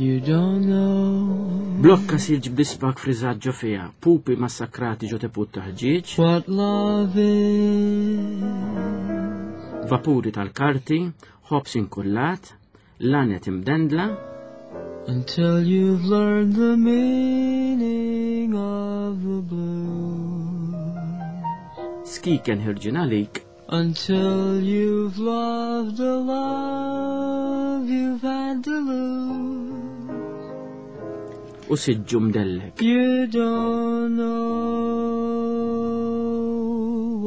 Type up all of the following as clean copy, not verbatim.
You don't know. Blokka silġ b'dispak friżat ġo fiha, pupi massakrati ġo teput ta' ħġieġ. What love is. Vapuri tal-karti, ħobs inkullat, lanet imdendla. Until you've learned the meaning of the blues. Skiken ħirġin għalik. Until you've loved the love you've had to lose. U siġġu mdellek. You don't know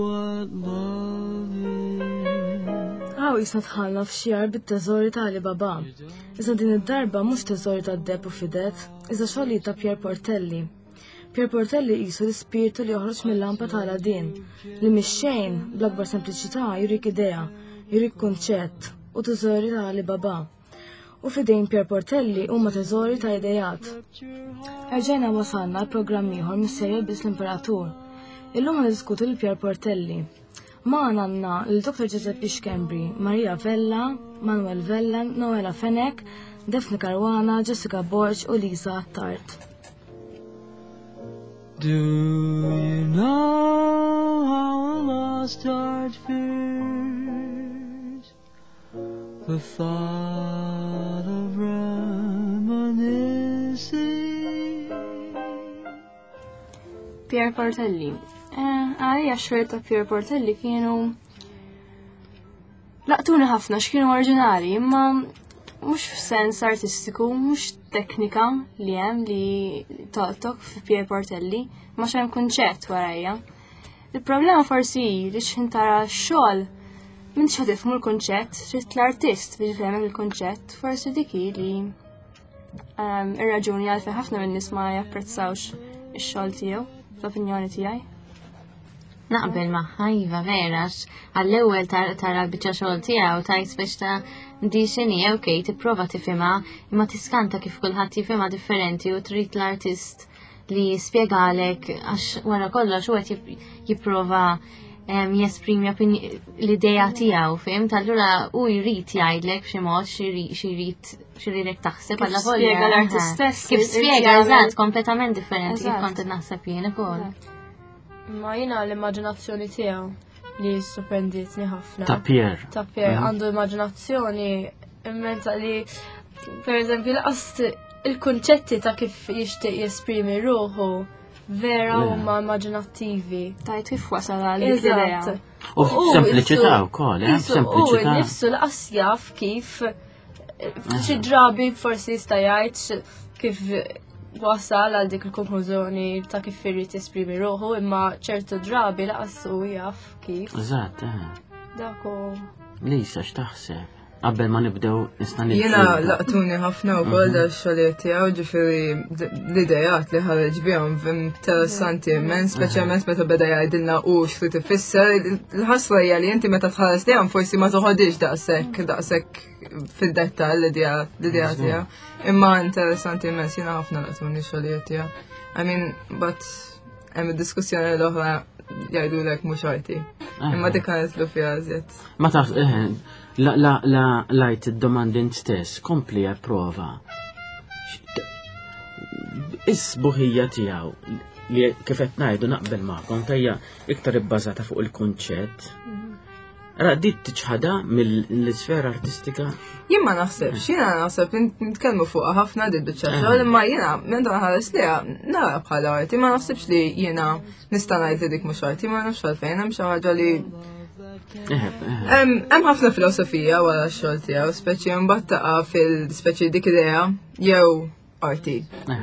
what love is. Hawn jisna tħallna f'xi bit-teżori ta' Alibaba. Iżda din id-darba mhux teżori ta' deb u fidet, iżda xogħlijiet ta' Pier Portelli. Pier Portelli qisu l-ispirtu li joħroġ mill-lampa ta' Aladdin, li mix-xejn, bl-akbar sempliċità jurik idea, jurik kunċett u teżori ta' Alibaba. U f'idejn Pier Portelli huma teżori ta' ideat. Erġajna wasalna għal programm ieħor mis-serje Biss l-Imperatur. Illum ħa niddiskutu lil Pier Portelli. Magħna għandna lil Dr. Giuseppe Schembri, Maria Vella, Manuel Vella, Noela Fenech, Daphne Caruana, Jessica Borg u Lisa Attard. Do you know how a lost heart fears the thought of reminiscing? Pier Portelli. Eh, għalija x ta' Pier Portelli kienu laqtuni ħafna x'kienu oriġinali, imma mhux f'sens artistiku, mhux teknika li hemm li tolqtok fi Pier Portelli, ma xem kunċett warajja. Il-problema forsi hi li x'ħin tara x-xogħol m'intix ħa tifhmu l-kunċett, trid l-artist biex jifhmek il-kunċett, forsi dik hi li ehm, ir-raġuni għalfejn ħafna minn nies ma japprezzawx ix-xogħol tiegħu, fl-opinjoni tiegħi. Naqbel magħha iva vera għall-ewwel tara l-biċċa xogħol tiegħu tajt biex ta' di x'inhi ok tipprova tifhimha imma tiskanta kif kulħadd jifhimha differenti u trid l-artist li jispjegalek għax wara kollox u qed jipprova jesprimi l-idea tiegħu, fhimt? Allura u jrid jgħidlek b'xi mod xi jrid taħseb Kif għalla volja. spjega l-artist stess Kif irid spjega, jagħmel. eżatt, kompletament differenti kif Eżatt. kont naħseb jien ukoll. Ma jiena l-immaġinazzjoni tiegħu li sorprenditni ħafna. Ta' Pier. Ta' Pier għandu immaġinazzjoni immensa li per eżempju laqas il-kunċetti ta' kif jixtieq jesprimi ruħu vera Le. huma immaġinattivi. Tajt kif wasal għal dik l-idea. Eżatt. U sempliċità wkoll, eh? Qisu- U Sempliċità. nifsu laqas jaf kif xi drabi forsi jista' jgħid kif wasal għal dik il-konklużjoni ta' kif irid jesprimi ruħu, imma ċertu drabi laqas hu jaf kif. Eżatt, eh. Dak hu. Lisa, x'taħseb? Qabel ma nibdew nista' Jiena nibdew. laqtuni ħafna wkoll da xogħlijiet tiegħu ġifieri l-idejat li ħareġ bihom interessanti immens, speċjalment meta beda jgħidilna u x'trid ifisser. Il-ħasra hija li inti meta tħares lejhom forsi ma toħodix daqshekk daqshekk fid-dettall l-idea l-idea tiegħu. Imma interessanti immens jiena ħafna laqtuni xogħlijiet tiegħu. I mean, but hemm id-diskussjoni l-oħra jgħidulek mhux arti. Imma dik nitlu fiha iżjed. Ma taf, eh, la, la, la, lajt id-domandi int stess, kompli prova. Is-sbuħija tiegħu li kif qed ngħidu naqbel magħkom tajja iktar ibbażata fuq il-kunċett. Ra dit tiċħada mill-isfera artistika Jien ma naħsebx, jiena naħseb nitkellmu fuqha ħafna di biċċa xogħol, imma jiena meta nħares liha nara bħala arti, ma naħsibx li jiena nista' ngħid li dik mhux arti, ma nafx għalfejn hemm xi ħaġa li Eh, eh. Hemm hemm ħafna filosofija wara x-xogħol tiegħu, speċi mbagħad taqa' fil-speċi dik idea jew arti.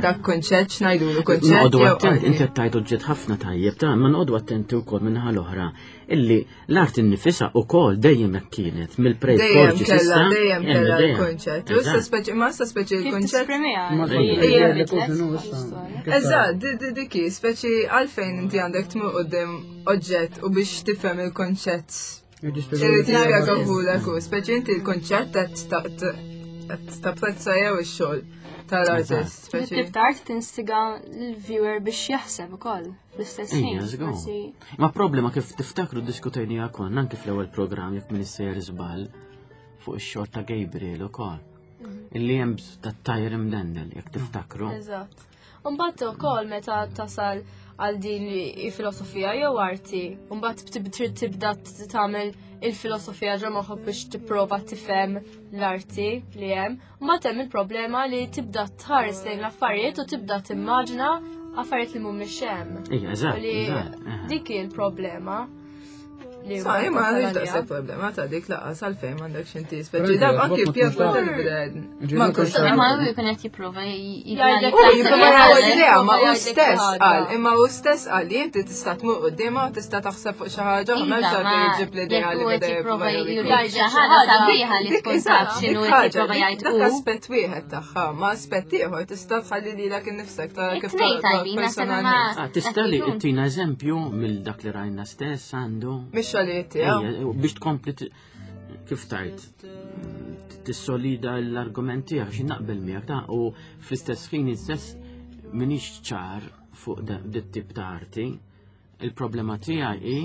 Dak kunċett x'ngħidulu kunċett. Noqogħdu jew attent, arti. inti qed tgħidu ġiet ħafna tajjeb, ta' ma noqogħdu attenti wkoll minnaħa l-oħra illi l-art innifisha wkoll dejjem hekk kienet Dejjem mill-preistoriċi kella, s'issa, dejjem hemm kella idea. l-kunċett. U issa Eżatt. speċi, ma issa speċi Kif l-kunċett. tisprimiha? Ma Ejja. li issa. Eżatt, di- di- diki, speċi għalfejn inti għandek tmur quddiem oġġett u biex tifhem il-konċett. Irid jispjegahulek u speċi inti l-konċett qed ta- ta- qed tapprezza jew ix-xogħol tal-artist. Tip Speċi. ta' art tinstiga l-viewer biex jaħseb ukoll fl-istess ħin. Ejja, żgur. Forsi Ma problema kif tiftakru diskutejnija konna anke fl-ewwel programm jekk min issejjer żball fuq ix-xogħol ta' Gabriel ukoll. Illi hemm tat-tajr imdendel, jekk tiftakru. Eżatt. Mbagħad ukoll meta tasal għal din il-filosofija jew arti, mbagħad trid tibda tagħmel il-filosofija ġo moħħok biex tipprova tifhem l-arti li hemm. Mbagħad hemm il-problema li tibda tħares lejn l-affarijiet u tibda timmaġina affarijiet li mhumiex hemm. Ija, eżatt. Dik hi l-problema. Sa, ma għandix daqshekk problema ta' dik laqas għalfejn m'għandekx inti speċi dab anki Pierre Portelli bida ma nkunx Imma hu jkun qed jipprova jgħidlek jipprova jgħidlek ma hu stess qal imma hu stess qal li inti tista' tmur quddiemha u tista' taħseb fuq xi ħaġa oħra m'hemmx għalfejn iġib l-idea li beda jipprova juri xi ħaġa sabiħa li tkun taf x'inhu qed jipprova jgħid Dak aspett wieħed tagħha, ma aspett ieħor tista' tħalli lilek innifsek tara kif personalment. Ah, tista' li tina eżempju mill dak li rajna stess għandu. Mhix xogħlijiet tiegħu. Biex tkompli kif tajt tissolida l-argument tiegħek xi naqbel miegħek ta' u fl-istess ħin istess minix ċar fuq dit tip ta' arti. Il-problema tiegħi hi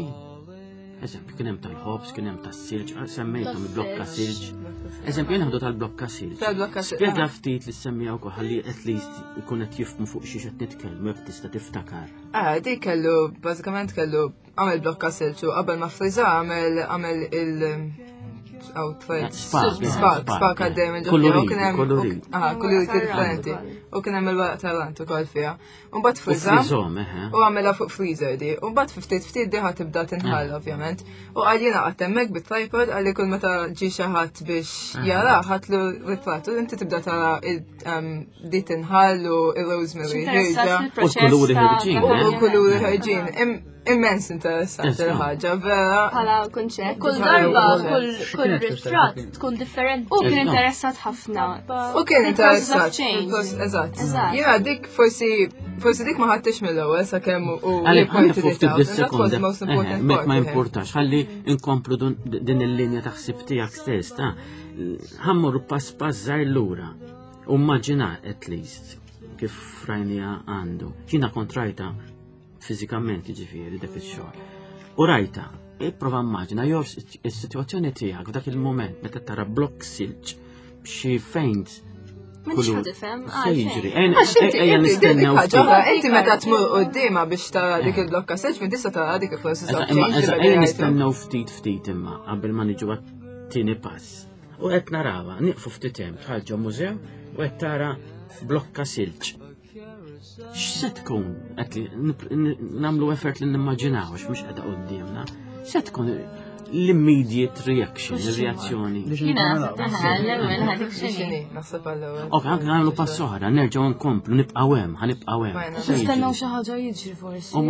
Eżempju, kien hemm tal-ħobż, kien hemm tas-silġ, semmejthom il-blokka silġ. Eżempju, jien ħadu tal-blokka silġ. Tal-blokka silġ. Spjega ftit li semmija wkoll ħalli at least ikun qed jifhmu fuq xiex qed nitkellmu jekk tista' tiftakar. Ah, dik kellu, bażikament kellu għamel blokka silġ u qabel ma friża għamel għamel il- outfit. Spak, spak, spak għaddej minn ġo. Kolorit. Ah, koloriti differenti. U kien hemm il-weraq tal-ant ukoll fiha. U mbagħad friża. U għamilha fuq freezer di. U mbagħad ftit ftit diħa tibda tinħall ovvjament. U qal jiena qatt hemmhekk bit-tripod għalli kull meta ġi xi ħadd biex jara ħatlu ritratt u inti tibda tara di tinħall u il-rosemary ħirġa. U l-kuluri ħirġin. U l-kuluri ħirġin. Immens interessanti l-ħaġa, vera. Bħala kunċett. Kull darba, kull ritratt tkun differenti. U kien interessat ħafna. U kien interessat. Eżatt. Jiena dik forsi forsi dik ma ħadtix mill-ewwel sakemm u Għalli ħalli fuq ftit bis-sekonda. Ma importax, ħalli inkomplu din il-linja ta' ħsib tiegħek stess, ta' ħammur pass pass żgħir lura. U immaġina at least kif rajnija għandu. Ġina kontrajta fiżikament jiġifieri dak ix-xogħol. U rajta, ipprova immaġina jew is-sitwazzjoni tiegħek f'dak il-mument meta tara blokk silġ b'xi fejnt tifhem. Jiġri, ejja nistennew. Inti meta tmur qudiema biex tara dik il-blokka silġ, minn tista' tara dik il-process of change. Ejja nistennew ftit ftit imma qabel ma niġu għat-tieni pass. U qed narawha, nieqfu ftit hemm bħal ġo mużew u qed tara blokka silġ. X'se tkun qed li nagħmlu effort li nimmaġinaw għax mhux qiegħda quddiemna. Se tkun l-immediate reaction, il-reazzjoni. Jina, l-ewwel ħadik xini. Naħseb għall-ewwel. Ok, anke nagħmlu pass oħra, nerġgħu nkomplu, nibqgħu hemm, ħanibqgħu hemm. Nistennew xi ħaġa jiġri forsi. Eh,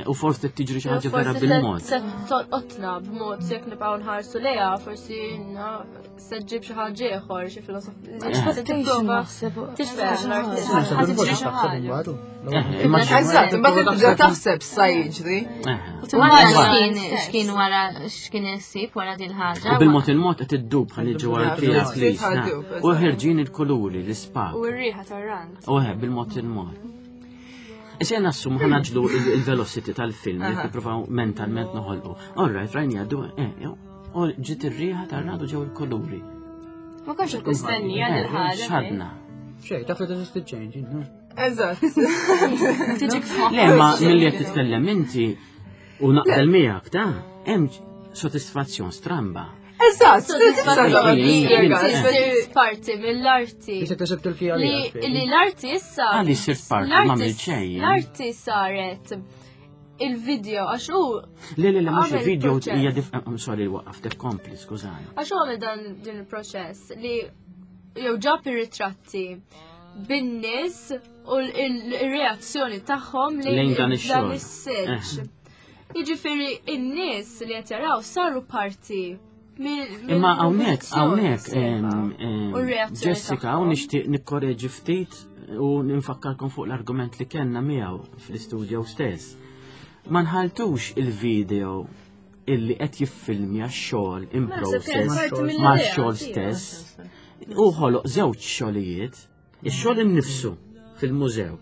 u forsi tiġri xi ħaġa vera bil-mod. Se tolqotna b'mod jekk nibqgħu nħarsu lejha, forsi se ġġib xi ħaġa ieħor, xi filosofija. Expectation naħseb. Eżatt, imbagħad tibda taħseb sa jiġri. Wara x'kien wara x'kien issib wara din ħaġa. U bil-mod il-mod qed iddub ħalli ġewwa l-pija U ħerġin il-kuluri, l-ispak. U r-riħa tar-rand. U bil-mod il-mod. Issa jena assum ħanaġlu il-velocity tal-film, li nippruvaw mentalment noħolqu. All right, rajni għaddu, eh, U ġiet ir-riħa tar-radu ġew il-kuluri. Ma konx qed nistennija eh, din ħaġa. Xadna. Xej, taf li teżisti change, Eżatt. Tiġik f'moħħ. Le, ma milli qed titkellem inti u naqbel miegħek ta' hemm sodisfazzjon stramba. Eżatt, sodisfazzjon parti mill-arti. Issa tasib Turkija li l-arti issa. Għalli sirt parti ma mill xejn. L-arti saret il-video għax hu. Le, le, le, mhux il-video hija dif. I'm sorry, waqaftek kompli, skużani. Għax hu għamel dan din il-proċess li jew ġab ir-ritratti bin-nies u l-reazzjoni tagħhom lejn dan ix-xogħol. is-silġ. Eh. Jiġifieri in-nies li qed jaraw saru parti Imma hawnhekk hawnhekk Jessica hawn nixtieq nikkoreġi ftit u ninfakkarkom fuq l-argument li kellna miegħu fl-istudio stess. Ma nħaltux il-video illi qed jiffilmja x-xogħol in mela, process ma' xogħol stess. U ħoloq żewġ xogħlijiet Ix-xogħol innifsu fil-mużew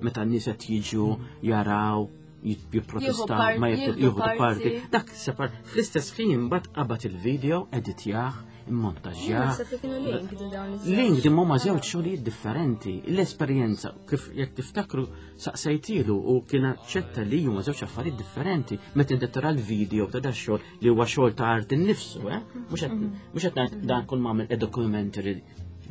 meta n-nies qed jiġu jaraw jipprotestaw ma jieħdu parti. Dak separ fl-istess ħin mbagħad qabad il-video, editjah, immontaġġjah. Naħseb li kienu linked dawn iż-żewġ. Linked imma huma żewġ xogħlijiet differenti. L-esperjenza kif jekk tiftakru saqsejtilu u kien aċċetta li huma żewġ affarijiet differenti meta inti tara l-video ta' da xogħol li huwa xogħol ta' art innifsu, eh? Mhux qed mhux qed ngħid dan kull m'għamel a documentary.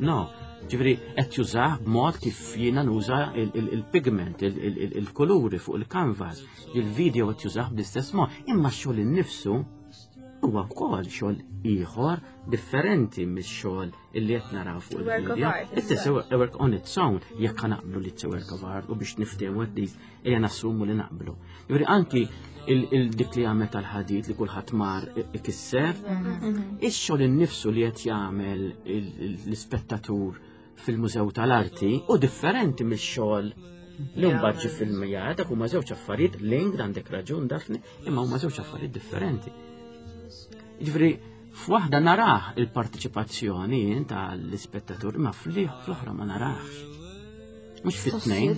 No, ġifieri qed jużah b'mod kif jiena nuża il-pigment, il-kuluri fuq il-canvas, il-video qed jużah bl-istess mod, imma x-xogħol innifsu huwa wkoll xogħol ieħor differenti mix-xogħol illi qed naraw fuq il-video. It is a work on its own jekk naqblu li it's a work of art u biex niftehmu at least ejja nassumu li naqblu. Jiġifieri anki il-dik li għamel tal-ħadid li kulħadd mar ikisser, mhm. ix-xogħol innifsu li qed jagħmel l-ispettatur fil-Mużew tal-Arti u differenti mix-xogħol li mbagħad ġi filmijat, dak huma żewġ affarijiet link għandek raġun Daphne, imma huma żewġ affarijiet differenti. Jiġifieri f'waħda narah il-partiċipazzjoni tal-ispettatur, imma fl-oħra ma narahx. Mux fit-tnejn.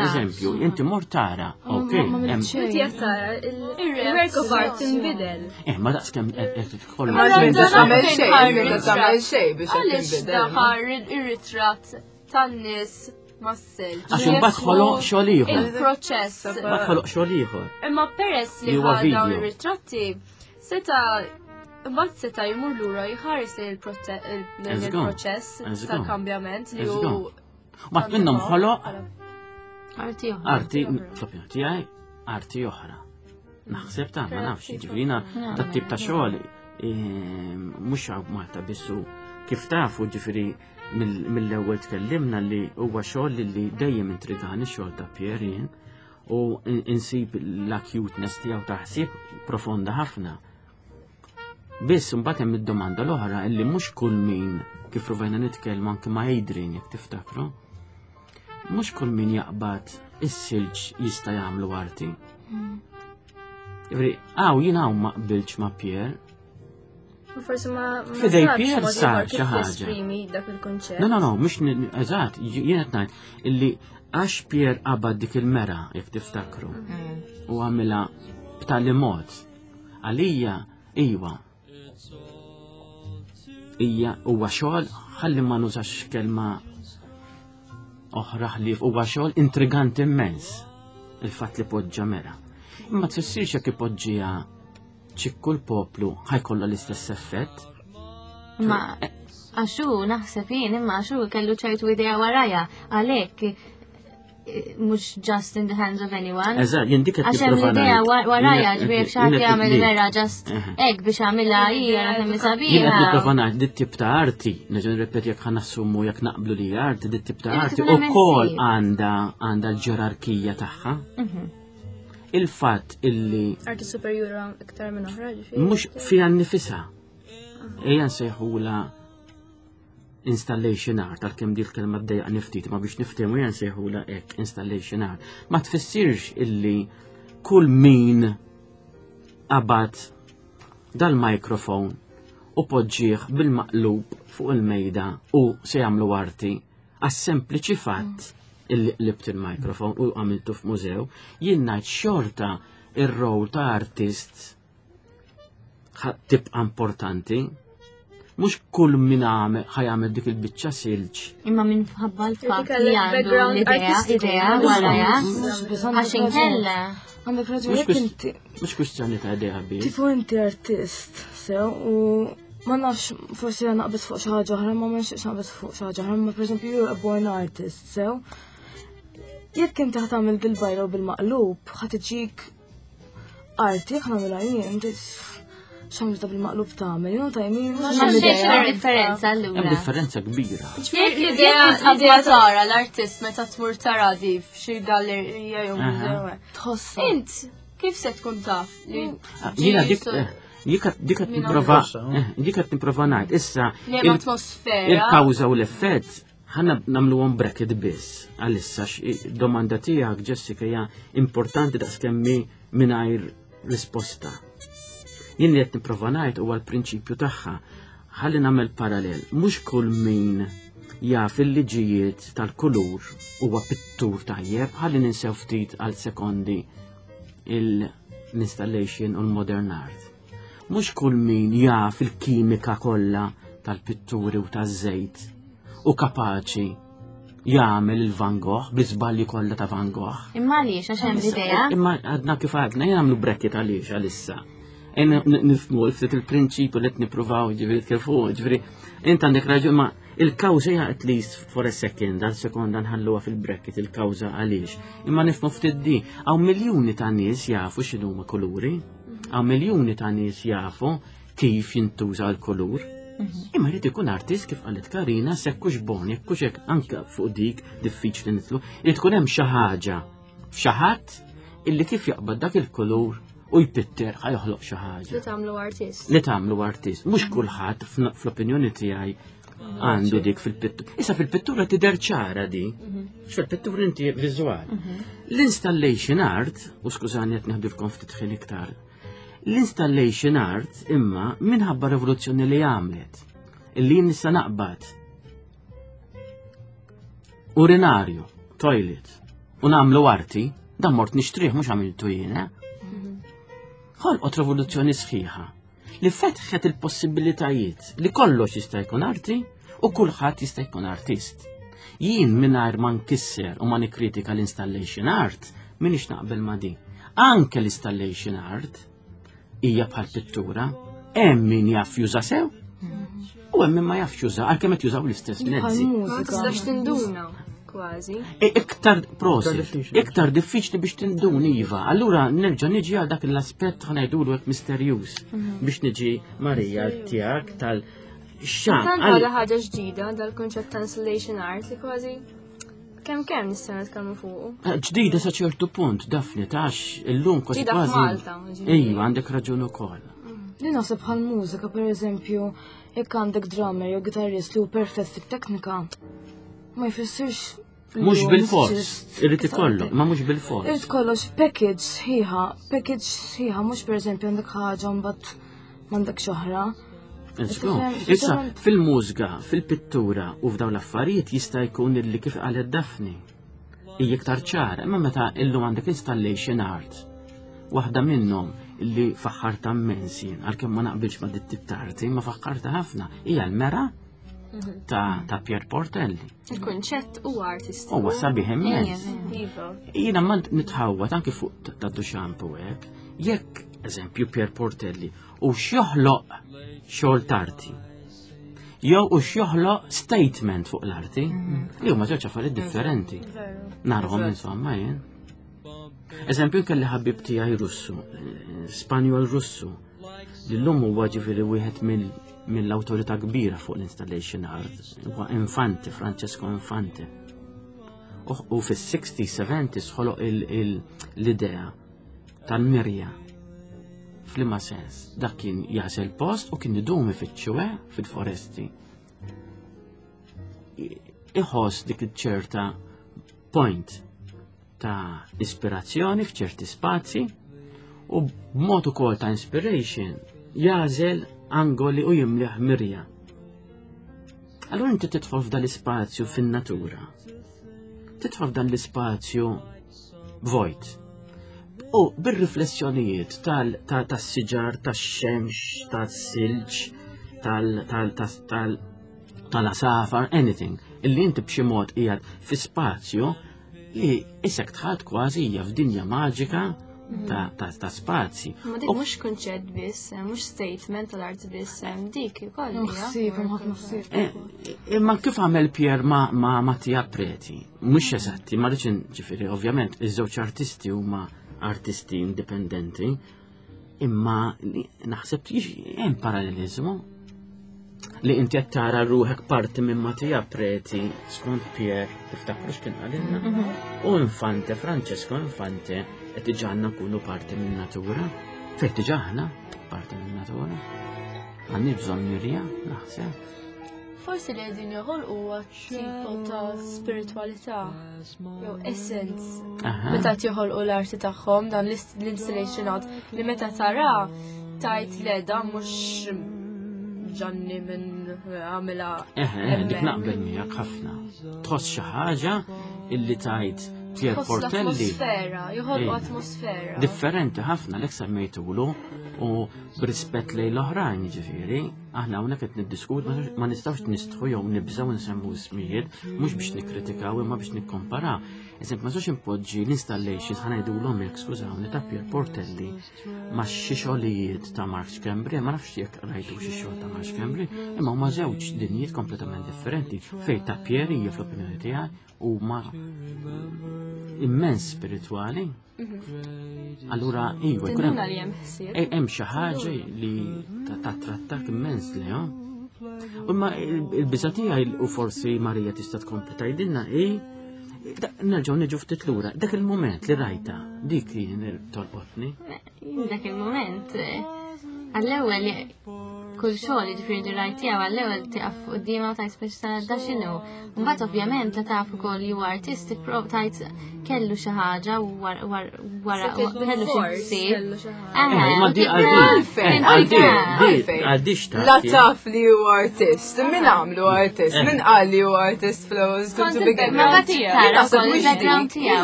Eżempju, inti mor tara, ok. Inti qed tara, il-work of art tinbidel. Eh, ma daqs kemm qed tkollu. Ma tagħmel xejn, ma tagħmel xejn biex tinbidel. Daħar ir-ritratt tan-nies mas-silġ. Għax imbagħad ħoloq xogħol ieħor. Il-proċess. Imbagħad ħoloq xogħol ieħor. Imma peress li ħa dawn ir-ritratti seta' Imbagħad seta' jmur lura jħares lejn il-proċess tal-kambjament li hu. Mat minnhom ħoloq arti oħra. Arti, fl-opinjoni tiegħi, arti oħra. Naħseb ta' ma nafx, ġifieri dat tip ta' xogħol eh, mhux hawn Malta bissu kif tafu ġifieri mill-ewwel tkellimna li huwa xogħol li dejjem intrigani xogħol ta' Pierre jien u insib l-acuteness tiegħu ta' ħsieb profonda ħafna. Biss imbagħad hemm id-domanda l-oħra illi mhux kull min kif provajna nitkellmu anke ma' Adrian jekk tiftakru, mhux kull min jaqbad is-silġ jista' jagħmlu arti. Ġifieri, hawn jien hawn ma qbiltx ma' Pierre. Forsi ma Fidej Pierre sar xi ħaġa. dak il-kunċett. No, no, no, mhux eżatt, jien qed ngħid illi għax Pierre qabad dik il-mera jekk tiftakru mm. u għamilha b'tali mod Għalija, iwa. Ija huwa xogħol ħalli ma nużax kelma oħra ħlief huwa xogħol intriganti immens il-fatt li poġġa mera. Imma tfissirx jekk ipoġġiha ċikku l-poplu ħajkollha l-istess effett. Ma għaxu naħseb jien imma għaxu kellu ċertu idea waraja għalhekk mux just in the hands of anyone. Eżatt, jien dik qed Għax hemm l-idea waraja ġbir xaħat jagħmel vera just hekk biex għamilha hija kemm sabiħa. Jien qed nipprova ngħid dit tip ta' arti, nerġa' nirrepeti jekk ħanassumu jekk naqblu li arti, dit tip ta' arti ukoll għandha għandha l-ġerarkija tagħha. Mhm. Il-fatt illi Arti superjura iktar minn oħra ġifieri. Mhux fiha nnifisha. Ejja nsejħula installation art, għalkemm di l-kelma ddejjaqni ftit, ma biex niftehmu jen sejħula hekk installation art. Ma tfissirx illi kull min qabad dal-mikrofon u poġġih bil-maqlub fuq il-mejda u se jagħmlu arti għas-sempliċi fatt illi qlibt il-mikrofon u għamiltu f'mużew, jien ngħid xorta ir-rol ta' artist tibqa' importanti. Mhux kull min ħajamel dik il-biċċa silġ. Imma minn ħabba l-fatt li għandu l-idea, idea waraja, għax inkella. Għandek raġun jekk inti. Mhux kwistjoni ta' idea bi. Tifu inti artist, sew, u ma nafx forsi naqbes fuq xi ħaġa oħra, ma ma nixtieqx naqbes fuq xi ħaġa oħra, ma pereżempju you're a born artist, sew. Jekk inti ħatamil dil-bajra u bil-maqlub, ħad iġik Arti, jekk nagħmilha jien, x'għamilta bil-maqlub tagħmel, jew ta' jmin. Ma xejn differenza allura. Hemm differenza kbira. L-idea tara l-artist meta tmur tara di f'xi gallerija jew mużew. Tħossa. Int kif se tkun taf li ah, Jiena dik eh, dik qed nipprova eh, dik qed nipprova ngħid issa l-atmosfera. Il-kawża u l-effett ħanna namlu bracket biss għalissa domanda tiegħek Jessica hija importanti daqs kemmi mingħajr risposta. Jien li qed nipprova ngħid huwa l-prinċipju tagħha. Ħalli nagħmel parallel, mhux kull min jaf il-liġijiet tal-kulur huwa pittur tajjeb, ħalli ninsew ftit għal sekondi l-installation u l-modern art. Mhux kull min jaf il-kimika kollha tal-pitturi u taż-żejt u kapaċi jagħmel il-Van Gogh bl-iżbalji kollha ta' Van Gogh. Imma għaliex għax hemm l-idea. Imma għadna kif għadna jagħmlu bracket għaliex għalissa. Nifmu ftit il-prinċipju li qed nippruvaw ġifieri kif hu, ġifieri int għandek raġun ma il-kawża hija at least for a second, għal sekonda nħalluha fil-bracket il-kawża għaliex. Imma nifmu ftit di, hawn miljuni ta' nies jafu x'inhuma kuluri, hawn miljuni ta' nies jafu kif jintuża l-kulur. Mhm. Imma jrid ikun artist kif qalet Karina sekkux bon, jekkux hekk anke fuq dik diffiċli nitlu, irid tkun hemm xi ħaġa f'xi ħadd illi kif jaqbad dak il-kulur u jpitter ħa joħloq xi ħaġa. Li tagħmlu artist. Li tagħmlu artist. Mhux kulħadd fl-opinjoni tiegħi għandu dik fil-pittura. Issa fil-pittura tidher ċara di, mhm. fil-pittura inti viżwal. Mhm. L-installation art, u skużani qed neħdulkom ftit ħin iktar, L-installation art imma minħabba rivoluzzjoni li għamlet, illi nista' naqbad urinarju, toilet, u nagħmlu arti, dan mort nixtrih mhux għamiltu jiena. Mhm. Ħolqot rivoluzzjoni sħiħa li fetħet il-possibilitajiet li kollox jista' jkun arti u kulħadd jista' jkun artist. Jien mingħajr ma nkisser u ma nikkritika l-installation art, minix naqbel ma din. Anke l-installation art hija bħal pittura, hemm min jaf juża sew u hemm min ma jafx juża għalkemm qed jużaw l-istess mezzi. Ma tistax tinduna kważi. E, iktar prosit, iktar diffiċli biex tindun iva. Allura nerġa' niġi għal dak l-aspett ħanajdulu hekk misterjuż mhm. biex niġi Marija tiegħek tal xan. Tant għadha ħaġa ġdida dal-kunċett ta' installation art li kważi kemm kemm nistgħu nitkellmu fuqu. Eh, ġdida sa ċertu punt, Dafni, tax illum kważi kważi. Malta. Ejwa, għandek raġun ukoll. Mm. Li naħseb bħal mużika, per eżempju, jekk għandek drummer jew gitarrist li hu perfett fit-teknika, ma jfissirx Mux bil-fors, irrid ikollu, ma mux bil-fors. Irrid kollox package sħiħa, package sħiħa, mux per eżempju għandek ħaġa mbagħad m'għandek xoħra. Issa, fil-mużga, fil-pittura u f'dawn l-affarijiet jista' jkun illi kif qalet Daphne. Hija iktar ċara, imma meta illum għandek installation art. Waħda minnhom illi faħħarta immens jien, għalkemm ma naqbilx ma' dit tarti, ma faħħarta ħafna, hija l-mera ta', ta Pier Portelli. Il-kunċett huwa artistiku. Huwa sabiħ immens. Iva. Jiena ma nitħawwad anke fuq ta' Duchamp u hekk, jekk eżempju Pier Portelli u x'joħloq xogħol tarti. Jew u x'joħloq statement fuq l-arti, mhm. li huma żewġ affarijiet differenti. Narhom insomma jien. Eżempju kelli ħabib tiegħi Russu, eh, Spanjol Russu, li llum huwa ġifieri wieħed mill-awtorità kbira fuq l-installation art, huwa Infante, Francesco Infante. U fis-60s, 70s ħoloq l-idea tal-mirja. F'liema sens, dak kien jażel post u kien idum ifittxu eh, fil-foresti. Iħoss dik ċerta point ta' ispirazzjoni f'ċerti spazji u b'mod ukoll ta' inspiration jażel angoli u jimliħ mirja. Allura inti tidħol f'dan l-ispazju fin-natura. Tidħol f'dan l-ispazju vojt. U bir-riflessjonijiet tas-siġar, tax-xemx, tas-silġ, tal-asafar, anything, illi inti b'xi mod qiegħed fi spazju li isek tħat kważi hija f'dinja maġika ta', ta, ta spazji. Ma dik mhux kunċett biss, eh, mhux statement tal-art biss, eh, dik ukoll. Ħsieb, ħafna ħsieb. Eh, imma kif għamel Pier ma, ma Mattia Preti? Mhux eżatti, ma rridx ġifieri, ovvjament, iż-żewġ artisti huma artisti indipendenti, Imma naħseb hemm parallelizmu li inti qed tara ruħek parti minn Mattia Preti skont Pier tiftakru x'kien qalilna. Mhm. U Infante, Francesco Infante qed diġà nkunu parti minn natura. Fejn diġà aħna parti minn natura. Għandi bżonn mirja, naħseb. Forsi li qegħdin joħolqu huwa tipo ta' spiritualità jew essence. Meta joħolqu l-arti tagħhom dan l-installation art li meta tara tajt le dan mhux ġanni minn għamilha. Eħe, dik naqbel miegħek ħafna. Tħoss xi ħaġa illi tajt Pier Portelli. Atmosfera, joħolqu atmosfera. Differenti ħafna l semmejtulu u b'rispett lejn l-oħrajn ġifieri, aħna hawnhekk qed niddiskutu ma nistgħux nistħu jew nibżgħu nsemmu ismijiet mhux biex nikkritikaw imma biex nikkomparaw. Eżempju, ma nistax impoġġi l-installations ħa ngħidulhom hekk skużawni ta' Pier Portelli ma' xi xogħlijiet ta' Mark Schembri, ma nafx jekk rajtu xi xogħol ta' Mark Schembri, imma huma żewġ dinjiet kompletament differenti fejn ta' Pier hija fl-opinjoni tiegħi huma immens spiritwali. Mhm. Allura, iva, jkun hemm eh, hemm xi ħaġa li tatrattak immens li, Imma il-biża tiegħi u forsi Marija tista' tkompli tgħidilna hi Nerġgħu niġu ftit lura, dak il-mument li rajta, dik li tolqotni. Dak il-mument, eh, għall-ewwel kull xogħol jiġifieri li rajt tiegħu għall-ewwel tiqaf quddiemha u tajt speċi ta' da x'inhu. Mbagħad ovvjament la taf ukoll li huwa artist tipprov tajt kellu xi ħaġa wara kellu xi ħsieb. Ma di għaldi, għaldi La taf li huwa artist, min għamlu artist, min qal li huwa artist fl-ewwel to begin with. Naħseb mhux dik,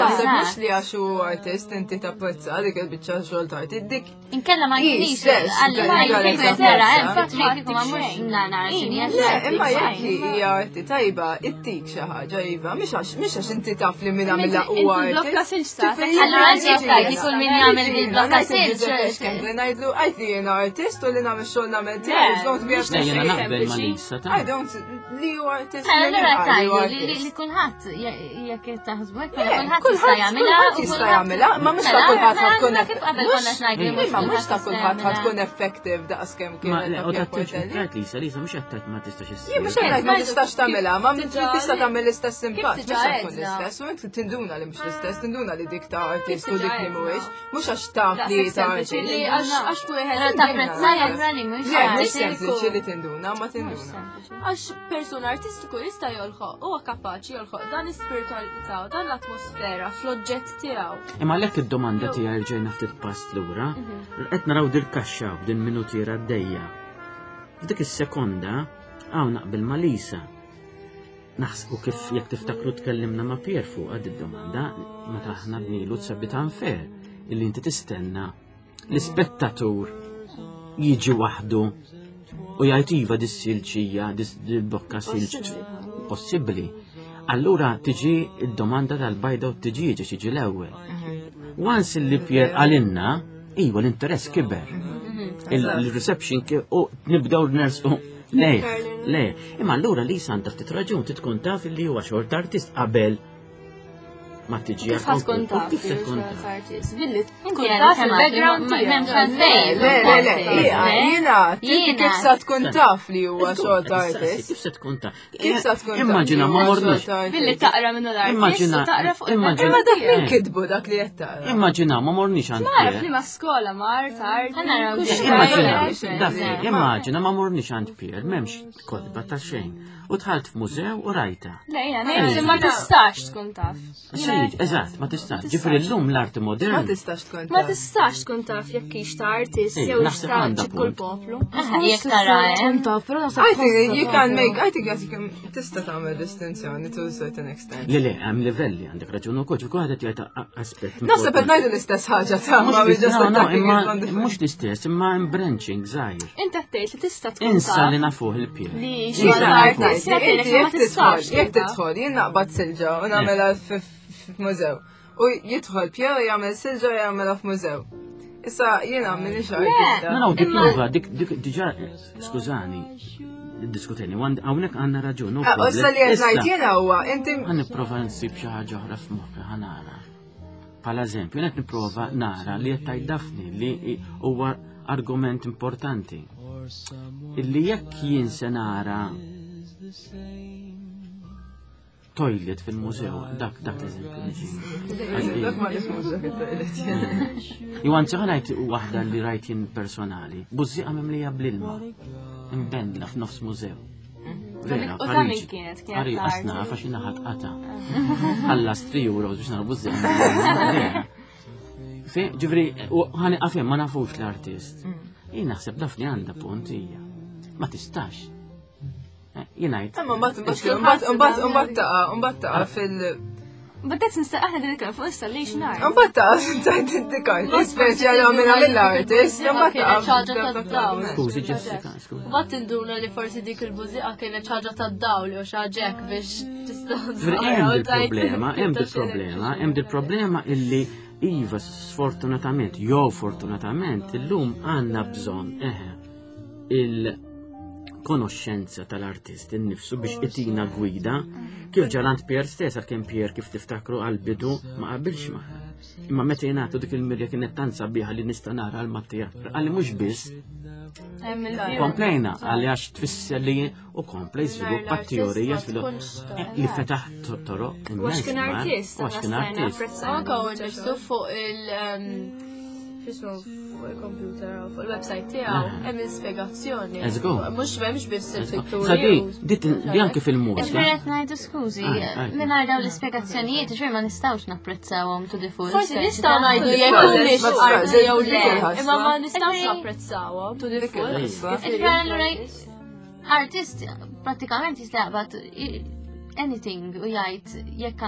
naħseb mhux li għax hu artist inti tapprezza dik il-biċċa xogħol ta' arti, dik. Inkella ma kienx Le, imma jekk hija arti tajba, ittik xi ħaġa iva, mhux għax mhux għax inti taf li min għamilha huwa artist. Allura inti tgħid li kull min jagħmel bil-blokka silġ. Ngħidlu għajt li jiena artist u li nagħmel xogħol nagħmel tiegħi, don't be a Jiena naqbel ma' Lisa ta' I don't li hu artist. Allura tgħidu li kulħadd jekk taħsbu hekk kulħadd jista' jagħmilha. Kulħadd jista' jagħmilha, ma mhux ta' kulħadd tkun Imma mhux ta' kulħadd ħad tkun effective daqs kemm kien. Ma u ta' Lisa, Lisa mhux qed ma tistax issir. Jien mhux qed ma tistax tagħmilha, ma tista' tagħmel l-istess impatt, mhux se tkun l-istess, u inti tinduna li mhux l-istess, tinduna li dik ta' artist u dik li mhuwiex, mhux għax taf li ta' artist. Għax wieħed tapprezza allura li mhux. Le, mhux sempliċi li tinduna, ma tinduna. Għax persuna artistiku jista' jolħoq, huwa kapaċi jolħoq dan l-ispiritualità u dan l-atmosfera fl-oġġett tiegħu. Imma għalhekk id-domanda tiegħi rġejna ftit pass lura, mhm. qed naraw dil kaxxa b'din minutiera għaddejja. F'dik is-sekonda hawn naqbel ma' Lisa. Naħsbu kif jekk tiftakru tkellimna ma' Pier fuq għad id-domanda meta aħna bnilu tsabit unfair illi inti tistenna l-ispettatur jiġi waħdu u jgħid iva dis-silġija, dis-bokka silġ possibbli. Allura tiġi id-domanda tal-bajda u t-tiġiġa xiġi l-ewwel. Once li Pier għalinna, iva l-interess kiber. Il-reception u nibdew nersqu le, le. Imma allura li għandha ftit raġun titkun taf li huwa xorta artist qabel ma tiġi Kif ħa tkun taf? Kif se tkun taf? Artist. Billi tkun taf il-background tiegħek. Le, le, le, jiena, kif sa tkun taf li huwa xogħol ta' artist? Kif se tkun taf? Kif sa tkun taf? Immaġina ma morniex. Billi taqra minnu l-artist. Immaġina. Taqra fuq Imma dak min kitbu dak li qed taqra. Immaġina ma morniex għand. Nara li ma skola mar tard. Immaġina, immaġina ma morniex għand Pier, m'hemmx kotba ta' xejn. U dħalt f'mużew u rajta. Le, jena, ngħid li ma tistax tkun taf. Xejn, eżatt, ma tistax. Ġifieri llum l-arti moderna. Ma tistax tkun taf. Ma tistax tkun taf jekk hix ta' artist jew ta' kull poplu. Jekk tara, eh? Tkun taf, però I think you can make, I think you can, tista' tagħmel distinzjoni to a certain extent. Le, le, hemm livelli għandek raġun ukoll, ġifieri kulħadd qed jgħid aspett. Naħseb qed ngħidu l-istess ħaġa ta' ma mhux l-istess, imma hemm branching żgħir. Inti qed tgħid li tista' tkun Insa li nafuh il-pjer. Li Jekk tidħol, jien naqbad silġa u nagħmilha f'mużew. U jidħol Pjer jagħmel silġa u jagħmilha f'mużew. Issa jiena minix artista. No, no, dik prova, dik diġà, skużani, diskuteni, hawnhekk għandna raġun. Ah, issa li qed ngħid jiena huwa inti. Ħa nipprova nsib xi ħaġa oħra f'moħħi ħa nara. Pala eżempju, qed nipprova nara li qed tgħid Daphne li huwa argument importanti. Illi jekk jien se nara toilet fil-mużew, dak dak l-eżempju niġi. Dak ma nifhmux dak it-toilet. Jew anzi ħa ngħid waħda li rajt jien personali, bużżieqa mimlija bl-ilma, imbendla f'nofs mużew. Vera, U ta' min kienet? Kienet Għari, ta' għasna, għax jina ħat qata. Ħallas 3 euros biex nara bużżieqa. Vera. Fi, ġifri, u ħani għafem, ma nafux l-artist. Jien naħseb dafni għandha punt hija. Ma tistax. Eh, jien ngħid. Imma mbagħad mbagħad mbagħad mbagħad taqa' mbagħad taqa' fil But that's insta aħna din nitkellmu fuq installation art. Mbagħad taf tajt dik artist speċjali għamilha mill-artist, mbagħad Kienet ħaġa tad-dawl. Skużi Jessica, skużi. Mbagħad tinduna li forsi dik il-bużiqa kienet ħaġa tad-dawl jew xi ħaġa hekk biex tista' Hemm dil-problema, hemm dil-problema, hemm dil-problema illi iva sfortunatament, jew fortunatament, illum għandna bżonn eħe il-konoxxenza tal-artist innifsu biex itina gwida kif ġarant Pierre stess għalkemm Pierre kif tiftakru għal-bidu ma qabilx magħha. Imma meta jingħatu dik il-mirja kienet tant sabiħa li nista' nara l-Mattia. Għalli mhux biss komplejna għalli għax tfisser li u komplej żviluppa teorija li fetaħ toroq. Għax kien artist, Għax kien artist. Anka u ġestu fuq il- xismu fuq il-computer u fuq il-website tiegħu hemm il-spjegazzjoni. Let's go. Mhux m'hemmx biss il-pitturi. Sabi, dit di anke fil-mużika. Ġifieri qed ngħidu skużi, Ah, ah. mingħajr dawn l-ispjegazzjonijiet, ġifieri ma nistgħux napprezzawhom to the full. Forsi speċi nistgħu ta' ngħidu jekk Ma humiex tistax, arti jew dik le, il-ħasra. imma ma nistgħux Ġifieri- napprezzawhom to the Dik full. il-ħasra. Ġifieri allura artist pratikament jista' jaqbad anything u jgħid jekk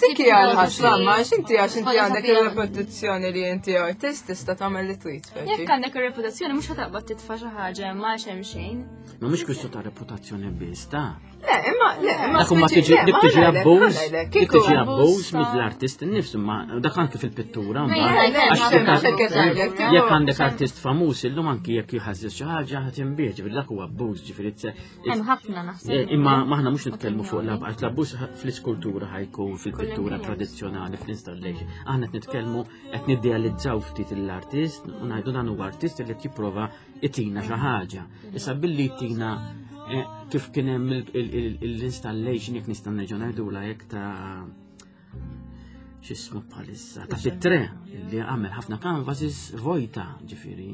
Dik hija l-ħasra, ma għax inti għax inti għandek ir-reputazzjoni li inti artist tista' tagħmel li trid. speċi. Jekk għandek ir-reputazzjoni mhux ħataqbad titfa' xi ħaġa ma hemm xejn. Ma mhux kwistju ta' reputazzjoni biss, ta' Le, imma le, imma Dak huma speċi- tiġi le, dik ma tiġi ħanajlek, abbuż, ħanajlek, dik kieku- tiġi abbuż ta' mill-artist innifsu, ma dak anke fil-pittura Ma mbagħad. jien Le, Għax ma jekk ma xekket ngħidlek, tipo- jekk għandek artist famuż illum anki jekk jħażżes xi ħaġa ħadd inbih, ġifieri dak huwa abbuż, ġifieri tse- Hemm ħafna naħseb. Eh, Imma maħna mhux nitkellmu fuq l-abbuż, l-abbuż fl-iskultura ħajkun fil-pittura tradizzjonali, fl-installation. Aħna qed nitkellmu qed nidealizzaw ftit l-artist u ngħidu dan huwa artist li qed jipprova itina xi ħaġa. Issa billi jtina eh, kif kien hemm l-installation jekk nista' nerġa' ngħidula jekk ta' x'ismu bħalissa ta' fit-tre li għamel ħafna canvases vojta ġifieri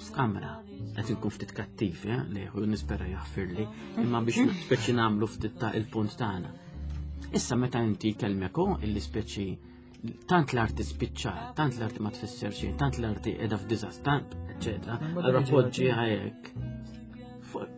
f'kamra. Qed inkun ftit kattiv, eh, li u nispera jaħfirli, imma biex speċi nagħmlu ftit ta' il-punt tagħna. Issa meta inti kelmek hu illi speċi tant l-arti spiċċa, tant l-arti ma tfisser xejn, tant l-arti qiegħda f'diżast, tant, eċetera, allura poġġi hekk.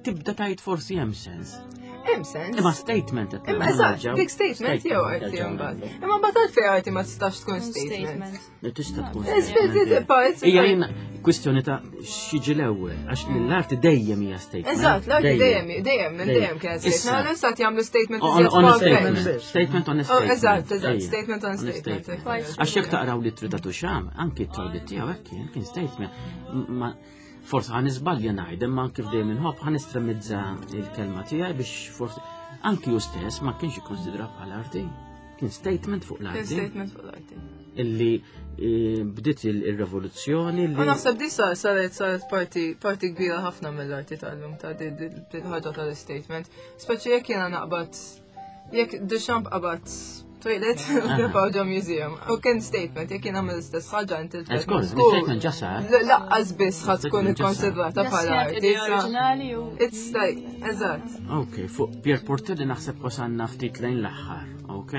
Tibda tajt forsi hemm sens. Hemm sens. Imma statement qed Imma nagħmlu eżatt, nerġgħu. dik statement jew arti nerġgħu mbagħad. nagħmlu. Imma mbagħad għalfejn arti ma tistax tkun statement. Tista' tkun It's- statement. it's- it's- Hija jien kwistjoni ta' x'jiġi l-ewwel, għax l-arti dejjem hija statement. Eżatt, l-arti dejjem, dejjem, minn dejjem kienet Issa. statement. Għal issa jagħmlu statement On, iżjed on a far-fetched. statement. Statement on a Oh, statement. eżatt, eżatt, Ejja. statement on a statement. Għax jekk taqraw li ta' Duchamp, anki t-trawli tiegħu hekk kien kien statement. Ma forsi ħan iżbalja ngħid, imma kif dejjem inħobb ħan estremizza il-kelma tiegħi biex forsi anki hu stess ma kienx ikkonsidra bħala arti. Kien statement fuq Kien l-arti statement fuq l-arti. illi eh, bdiet il-rivoluzzjoni U li naħseb di sa- saret saret parti parti kbira ħafna mill-arti tal-lum ta' di di- di ħaġa tal-statement. Speċi jekk jiena naqbad jekk Duchamp qabad toilet u ġo museum. U kien statement jekk jiena mill-istess ħaġa inti Of course, l-statement ġa sar. Laqqas biss ħad tkun Statement ġa sar. ikkonsidrata bħala Idea arti. sa- oriġinali u It's like, eżatt. Ok, fuq Pier Portelli naħseb wasanna ftit lejn l-aħħar, ok?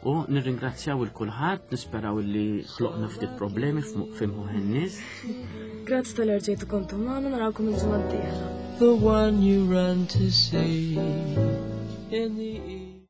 U nirringrazzjaw il-kulħadd, nisperaw li ħloqna ftit problemi f'imħuħ in-nies. Grazzi tal-erġejtu kontu magħna narawkom il-ġimgħa d-dieħla. The one you run to see in the evening.